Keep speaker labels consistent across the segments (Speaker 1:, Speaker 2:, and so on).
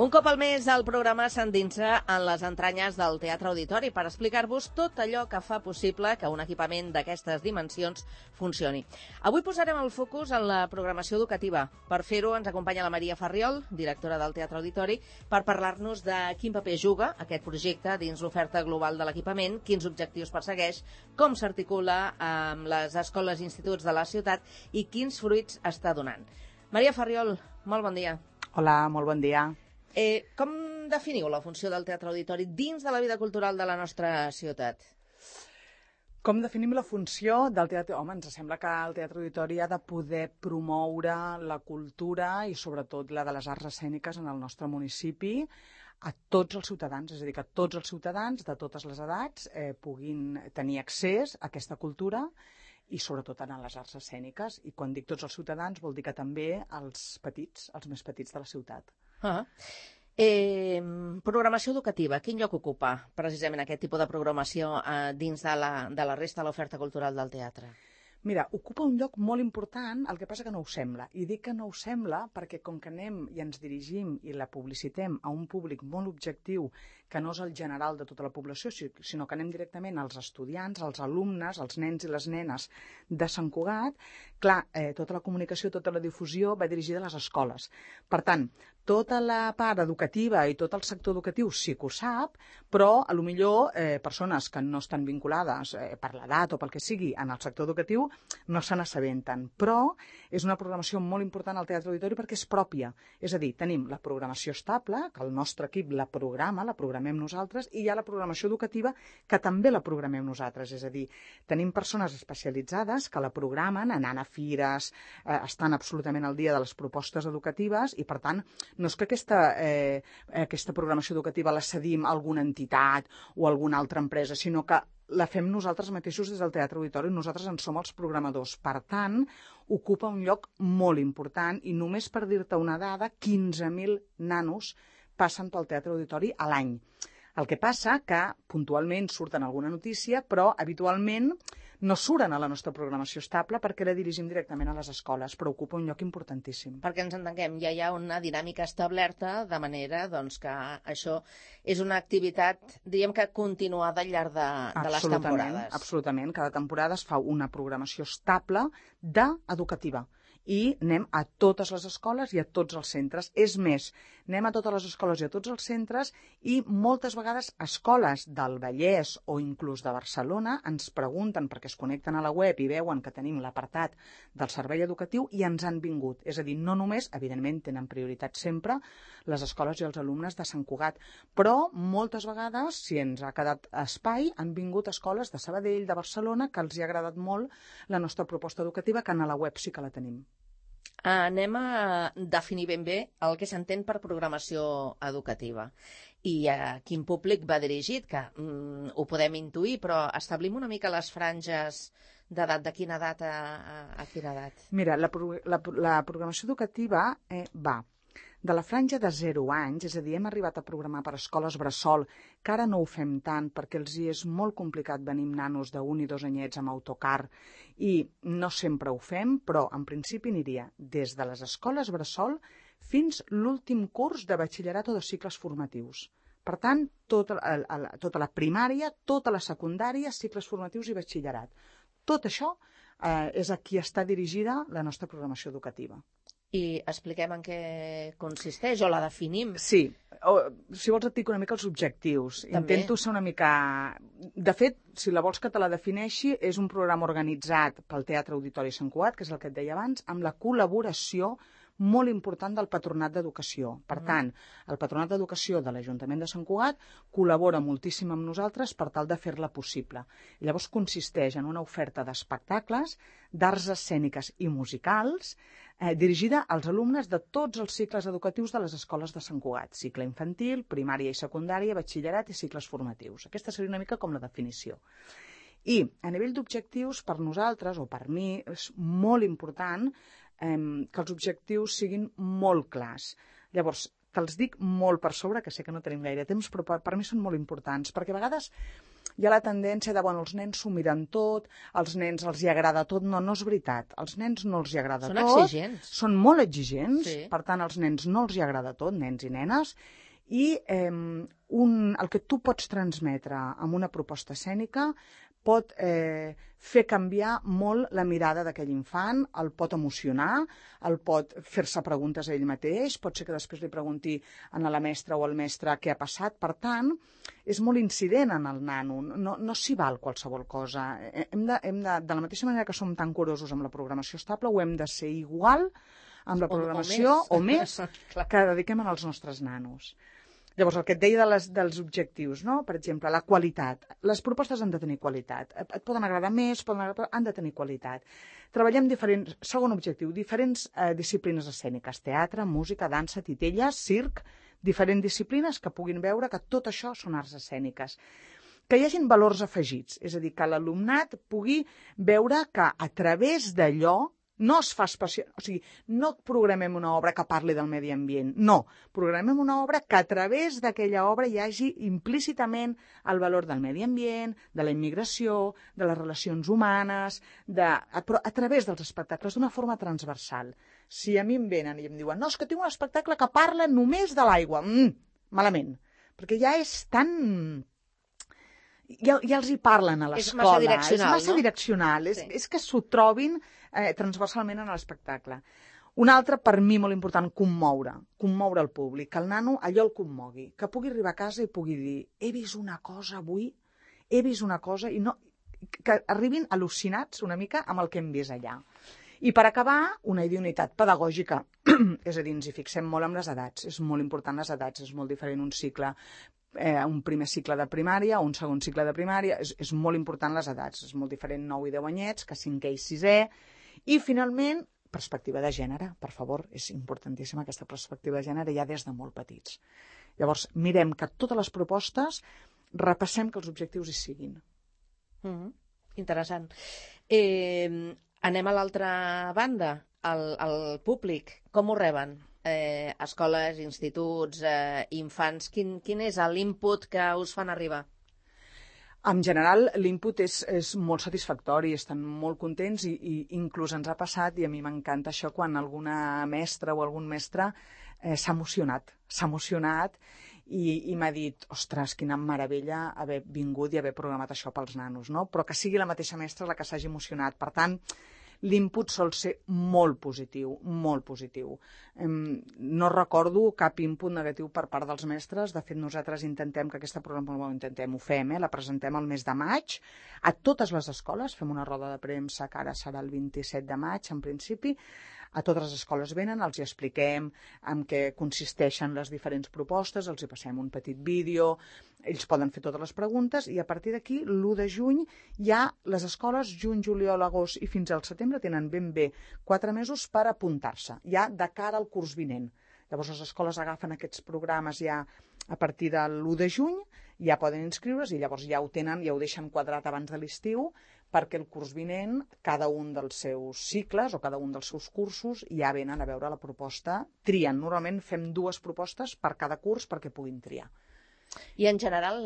Speaker 1: Un cop al mes el programa s'endinsa en les entranyes del Teatre Auditori per explicar-vos tot allò que fa possible que un equipament d'aquestes dimensions funcioni. Avui posarem el focus en la programació educativa. Per fer-ho ens acompanya la Maria Farriol, directora del Teatre Auditori, per parlar-nos de quin paper juga aquest projecte dins l'oferta global de l'equipament, quins objectius persegueix, com s'articula amb les escoles i instituts de la ciutat i quins fruits està donant. Maria Farriol, molt bon dia.
Speaker 2: Hola, molt bon dia.
Speaker 1: Com definiu la funció del Teatre Auditori dins de la vida cultural de la nostra ciutat?
Speaker 2: Com definim la funció del teatre? Home, ens sembla que el Teatre Auditori ha de poder promoure la cultura i sobretot la de les arts escèniques en el nostre municipi a tots els ciutadans, és a dir, que tots els ciutadans de totes les edats puguin tenir accés a aquesta cultura i sobretot en les arts escèniques. I quan dic tots els ciutadans vol dir que també els petits, els més petits de la ciutat.
Speaker 1: Programació educativa, quin lloc ocupa precisament aquest tipus de programació dins de la resta de l'oferta cultural del teatre?
Speaker 2: Mira, ocupa un lloc molt important, el que passa que no ho sembla. I dic que no ho sembla perquè com que anem i ens dirigim i la publicitem a un públic molt objectiu, que no és el general de tota la població, sinó que anem directament als estudiants, als alumnes, als nens i les nenes de Sant Cugat, clar, tota la comunicació, tota la difusió va dirigida a les escoles. Per tant, tota la part educativa i tot el sector educatiu sí que ho sap, però potser persones que no estan vinculades per l'edat o pel que sigui en el sector educatiu no se n'assabenten. Però és una programació molt important al Teatre Auditori perquè és pròpia. És a dir, tenim la programació estable, que el nostre equip la programem nosaltres, i hi ha la programació educativa que també la programem nosaltres. És a dir, tenim persones especialitzades que la programen anant a fires, estan absolutament al dia de les propostes educatives i, per tant, no és que aquesta programació educativa la cedim a alguna entitat o a alguna altra empresa, sinó que la fem nosaltres mateixos des del Teatre Auditori, nosaltres en som els programadors. Per tant, ocupa un lloc molt important i només per dir-te una dada, 15.000 nanos passen pel Teatre Auditori a l'any. El que passa que puntualment surten alguna notícia, però habitualment no surten a la nostra programació estable perquè la dirigim directament a les escoles, però ocupa un lloc importantíssim.
Speaker 1: Perquè ens entenguem, ja hi ha una dinàmica establerta, de manera que això és una activitat, diríem que continuada al llarg de les temporades.
Speaker 2: Absolutament, cada temporada es fa una programació estable educativa. I anem a totes les escoles i a tots els centres. És més, anem a totes les escoles i a tots els centres i moltes vegades escoles del Vallès o inclús de Barcelona ens pregunten, perquè es connecten a la web i veuen que tenim l'apartat del servei educatiu i ens han vingut. És a dir, no només, evidentment, tenen prioritat sempre les escoles i els alumnes de Sant Cugat, però moltes vegades, si ens ha quedat espai, han vingut escoles de Sabadell, de Barcelona, que els hi ha agradat molt la nostra proposta educativa, que en la web sí que la tenim.
Speaker 1: Anem a definir ben bé el que s'entén per programació educativa i a quin públic va dirigit, que ho podem intuir, però establim una mica les franges d'edat, de quina edat a quina edat?
Speaker 2: Mira, la programació educativa va de la franja de 0 anys, és a dir, hem arribat a programar per escoles bressol, que ara no ho fem tant perquè els hi és molt complicat venir amb nanos d'1 i 2 anyets amb autocar i no sempre ho fem, però en principi aniria des de les escoles bressol fins l'últim curs de batxillerat o de cicles formatius. Per tant, tota la primària, tota la secundària, cicles formatius i batxillerat. Tot això és a qui està dirigida la nostra programació educativa.
Speaker 1: I expliquem en què consisteix o la definim.
Speaker 2: Sí, si vols et dic una mica els objectius.
Speaker 1: També.
Speaker 2: Intento ser una mica... De fet, si la vols que te la defineixi, és un programa organitzat pel Teatre Auditori Sant Cugat, que és el que et deia abans, amb la col·laboració molt important del Patronat d'Educació. Per tant, el Patronat d'Educació de l'Ajuntament de Sant Cugat col·labora moltíssim amb nosaltres per tal de fer-la possible. Llavors consisteix en una oferta d'espectacles, d'arts escèniques i musicals, dirigida als alumnes de tots els cicles educatius de les escoles de Sant Cugat. Cicle infantil, primària i secundària, batxillerat i cicles formatius. Aquesta seria una mica com la definició. I a nivell d'objectius, per nosaltres, o per mi, és molt important que els objectius siguin molt clars. Llavors, te'ls dic molt per sobre, que sé que no tenim gaire temps, però per mi són molt importants, perquè a vegades hi ha la tendència de, bueno, els nens s'ho miren tot, als nens els hi agrada tot. No, no és veritat. Als nens no els hi agrada tot.
Speaker 1: Són exigents.
Speaker 2: Són molt exigents,
Speaker 1: Sí.
Speaker 2: per tant, als nens no els hi agrada tot, nens i nenes, i el que tu pots transmetre amb una proposta escènica pot fer canviar molt la mirada d'aquell infant, el pot emocionar, el pot fer-se preguntes a ell mateix, pot ser que després li pregunti a la mestra o al mestre què ha passat. Per tant, és molt incident en el nano, no s'hi val qualsevol cosa. De la mateixa manera que som tan curosos amb la programació estable, ho hem de ser igual amb la programació o més que dediquem als nostres nanos. Llavors, el que et deia dels objectius, no? Per exemple, la qualitat. Les propostes han de tenir qualitat. Et poden agradar més, han de tenir qualitat. Treballem segon objectiu, diferents disciplines escèniques, teatre, música, dansa, titelles, circ, diferents disciplines que puguin veure que tot això són arts escèniques. Que hi hagin valors afegits, és a dir, que l'alumnat pugui veure que a través d'allò no es fa especial, o sigui, no programem una obra que parli del medi ambient, no, programem una obra que a través d'aquella obra hi hagi implícitament el valor del medi ambient, de la immigració, de les relacions humanes, però a través dels espectacles, d'una forma transversal. Si a mi em venen i em diuen, no, és que tinc un espectacle que parla només de l'aigua, malament, perquè ja és tan... Ja els hi parlen a l'escola.
Speaker 1: És massa
Speaker 2: direccional,
Speaker 1: Sí.
Speaker 2: És que s'ho trobin transversalment en l'espectacle. Un altre, per mi, molt important, commoure el públic, que el nano allò el commogui, que pugui arribar a casa i pugui dir he vist una cosa avui, he vist una cosa, i no, que arribin al·lucinats una mica amb el que hem vist allà. I per acabar, una idoneïtat pedagògica, és a dir, ens hi fixem molt amb les edats, és molt important les edats, és molt diferent un cicle, un primer cicle de primària o un segon cicle de primària, és molt important les edats, és molt diferent 9 i 10 anyets que 5è i 6è, i finalment, perspectiva de gènere, per favor, és importantíssima aquesta perspectiva de gènere ja des de molt petits. Llavors, mirem que totes les propostes repassem que els objectius hi siguin.
Speaker 1: Interessant. Anem a l'altra banda, el públic. Com ho reben? Escoles, instituts, infants, quin és l'input que us fan arribar?
Speaker 2: En general, l'input és molt satisfactori, estan molt contents i inclús ens ha passat, i a mi m'encanta això, quan alguna mestra o algun mestre s'ha emocionat i m'ha dit, ostres, quina meravella haver vingut i haver programat això pels nanos, no? Però que sigui la mateixa mestra la que s'hagi emocionat. Per tant, l'input sol ser molt positiu, molt positiu. No recordo cap input negatiu per part dels mestres. De fet, nosaltres intentem que aquesta programació, ho fem, la presentem el mes de maig a totes les escoles, fem una roda de premsa que ara serà el 27 de maig, en principi. A totes les escoles venen, els hi expliquem en què consisteixen les diferents propostes, els hi passem un petit vídeo, ells poden fer totes les preguntes i a partir d'aquí, l'1 de juny, ja les escoles, juny, juliol, agost i fins al setembre, tenen ben bé 4 mesos per apuntar-se, ja de cara al curs vinent. Llavors les escoles agafen aquests programes ja a partir de l'1 de juny, ja poden inscriure's i llavors ja ho tenen, ja ho deixen quadrat abans de l'estiu, perquè el curs vinent, cada un dels seus cicles o cada un dels seus cursos ja venen a veure la proposta, trien. Normalment fem 2 propostes per cada curs perquè puguin triar.
Speaker 1: I en general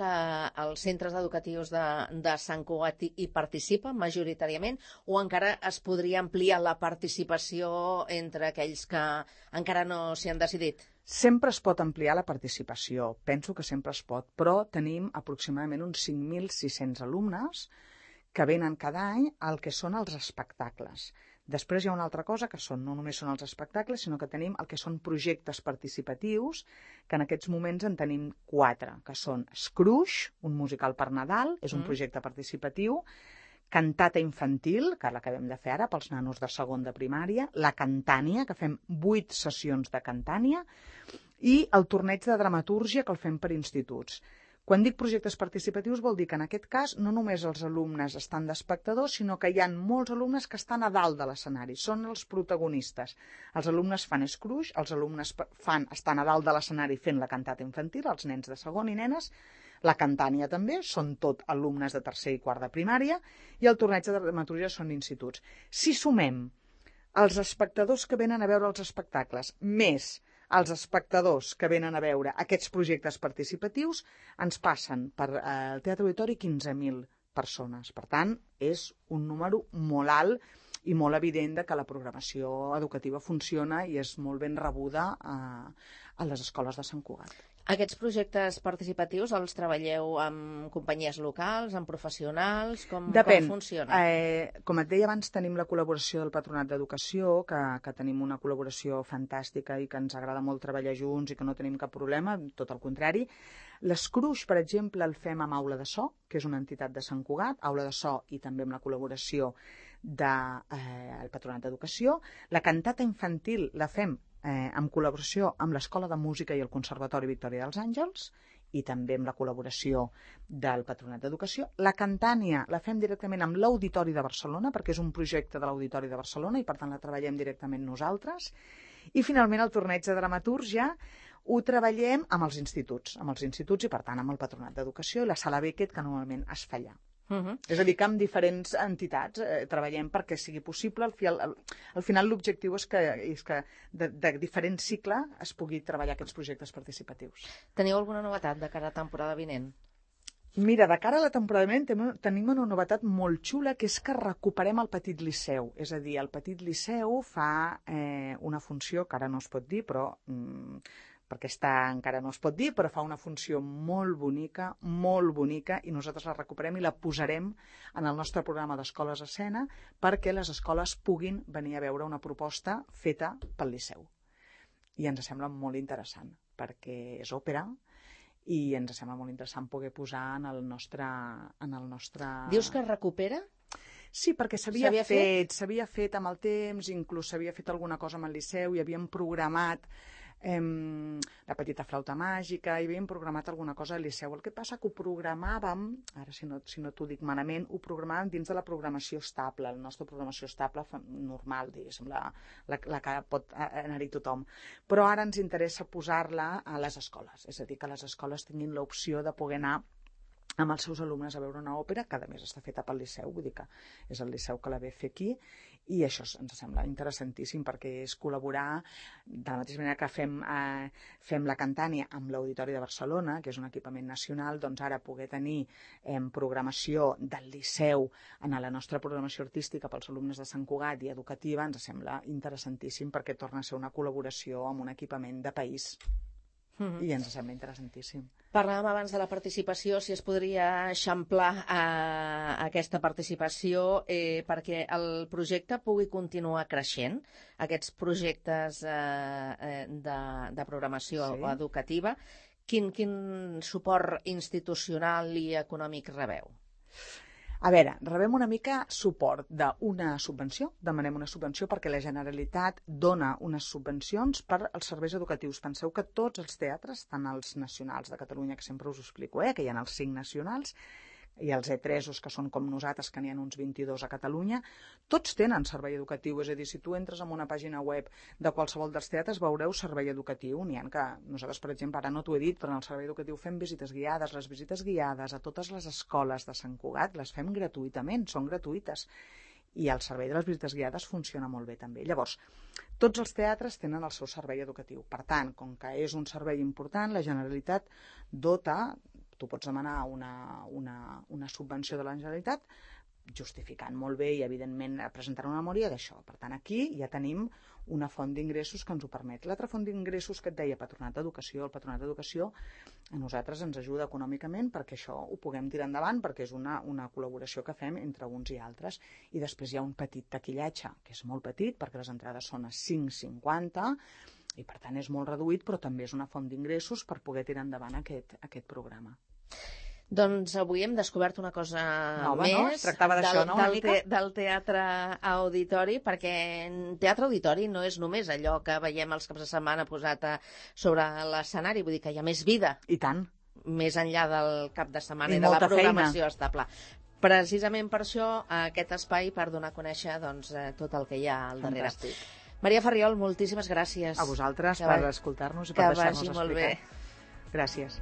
Speaker 1: els centres educatius de Sant Cugat hi participen majoritàriament o encara es podria ampliar la participació entre aquells que encara no s'hi han decidit?
Speaker 2: Sempre es pot ampliar la participació, penso que sempre es pot, però tenim aproximadament uns 5.600 alumnes que venen cada any al que són els espectacles. Després hi ha una altra cosa, que no només són els espectacles, sinó que tenim el que són projectes participatius, que en aquests moments en tenim 4, que són Scrooge, un musical per Nadal, és un projecte participatiu, cantata infantil, que l'acabem de fer ara pels nanos de segon de primària, la cantània, que fem 8 sessions de cantània, i el torneig de dramatúrgia, que el fem per instituts. Quan dic projectes participatius vol dir que en aquest cas no només els alumnes estan d'espectadors, sinó que hi ha molts alumnes que estan a dalt de l'escenari, són els protagonistes. Els alumnes fan Scrooge, els alumnes estan a dalt de l'escenari fent la cantata infantil, els nens de segon i nenes, la cantània també, són tot alumnes de tercer i quart de primària, i el torneig de dramatúrgia són instituts. Si sumem els espectadors que venen a veure els espectacles, més els espectadors que venen a veure aquests projectes participatius ens passen per el Teatre Auditori 15.000 persones. Per tant, és un número molt alt i molt evident que la programació educativa funciona i és molt ben rebuda a les escoles de Sant Cugat.
Speaker 1: Aquests projectes participatius els treballeu amb companyies locals, amb professionals? Com funciona?
Speaker 2: Com et deia abans, tenim la col·laboració del Patronat d'Educació, que tenim una col·laboració fantàstica i que ens agrada molt treballar junts i que no tenim cap problema, tot el contrari. L'Escruix, per exemple, el fem amb Aula de So, que és una entitat de Sant Cugat, Aula de So i també amb la col·laboració del Patronat d'Educació. La cantata infantil la fem en col·laboració amb l'Escola de Música i el Conservatori Victòria dels Àngels i també amb la col·laboració del Patronat d'Educació. La cantània la fem directament amb l'Auditori de Barcelona, perquè és un projecte de l'Auditori de Barcelona i per tant la treballem directament nosaltres. I finalment el torneig de dramatúrgia ho treballem amb els instituts i per tant amb el Patronat d'Educació i la Sala Beckett, que normalment es fa allà. És a dir, que amb diferents entitats treballem perquè sigui possible. Al final l'objectiu és que de diferent cicle es pugui treballar aquests projectes participatius.
Speaker 1: Teniu alguna novetat de cara a temporada vinent?
Speaker 2: Mira, de cara a la temporada vinent tenim una novetat molt xula, que és que recuperem el Petit Liceu. És a dir, el Petit Liceu fa una funció que ara no es pot dir, però perquè encara no es pot dir, però fa una funció molt bonica, i nosaltres la recuperem i la posarem en el nostre programa d'Escoles a Escena perquè les escoles puguin venir a veure una proposta feta pel Liceu. I ens sembla molt interessant, perquè és òpera i ens sembla molt interessant poder posar en el nostre...
Speaker 1: Dius que es recupera?
Speaker 2: Sí, perquè s'havia fet amb el temps, inclús s'havia fet alguna cosa amb el Liceu i havíem programat la petita flauta màgica i havíem programat alguna cosa al Liceu. El que passa que ho programàvem, ara si no t'ho dic malament, ho programàvem dins de la programació estable, la nostra programació estable normal, diguéssim, la que pot anar-hi tothom. Però ara ens interessa posar-la a les escoles, és a dir, que les escoles tinguin l'opció de poder anar amb els seus alumnes a veure una òpera, que a més està feta pel Liceu, vull dir que és el Liceu que la ve fer aquí, i això ens sembla interessantíssim perquè és col·laborar de la mateixa manera que fem la cantània amb l'Auditori de Barcelona, que és un equipament nacional, doncs ara poder tenir programació del Liceu en la nostra programació artística pels alumnes de Sant Cugat i educativa ens sembla interessantíssim perquè torna a ser una col·laboració amb un equipament de país. I ens sembla interessantíssim.
Speaker 1: Parlàvem abans de la participació, si es podria eixamplar aquesta participació perquè el projecte pugui continuar creixent, aquests projectes de programació educativa. Quin suport institucional i econòmic rebeu?
Speaker 2: A veure, rebem una mica suport d'una subvenció, demanem una subvenció perquè la Generalitat dona unes subvencions per als serveis educatius. Penseu que tots els teatres, tant els nacionals de Catalunya, que sempre us ho explico, que hi ha els 5 nacionals, i els E3, que són com nosaltres, que n'hi ha uns 22 a Catalunya, tots tenen servei educatiu. És a dir, si tu entres en una pàgina web de qualsevol dels teatres, veureu servei educatiu. N'hi ha que nosaltres, per exemple, ara no t'ho he dit, però en el servei educatiu fem visites guiades. Les visites guiades a totes les escoles de Sant Cugat les fem gratuïtament, són gratuïtes. I el servei de les visites guiades funciona molt bé també. Llavors, tots els teatres tenen el seu servei educatiu. Per tant, com que és un servei important, la Generalitat dota... Tu pots demanar una subvenció de la Generalitat justificant molt bé i, evidentment, presentar una memòria d'això. Per tant, aquí ja tenim una font d'ingressos que ens ho permet. L'altra font d'ingressos que et deia, Patronat d'Educació. El Patronat d'Educació a nosaltres ens ajuda econòmicament perquè això ho puguem tirar endavant, perquè és una col·laboració que fem entre uns i altres. I després hi ha un petit taquillatge, que és molt petit, perquè les entrades són a 5,50, i per tant és molt reduït, però també és una font d'ingressos per poder tirar endavant aquest programa.
Speaker 1: Doncs avui hem descobert una cosa més del Teatre Auditori, perquè Teatre Auditori no és només allò que veiem els caps de setmana posat sobre l'escenari, vull dir que hi ha més vida.
Speaker 2: I tant.
Speaker 1: Més enllà del cap de setmana i de la programació estable. Precisament per això aquest espai, per donar a conèixer tot el que hi ha al darrere.
Speaker 2: Fantàstic.
Speaker 1: Maria Farriol, moltíssimes gràcies.
Speaker 2: A vosaltres per escoltar-nos i per deixar-nos explicar.
Speaker 1: Que vagi molt bé.
Speaker 2: Gràcies.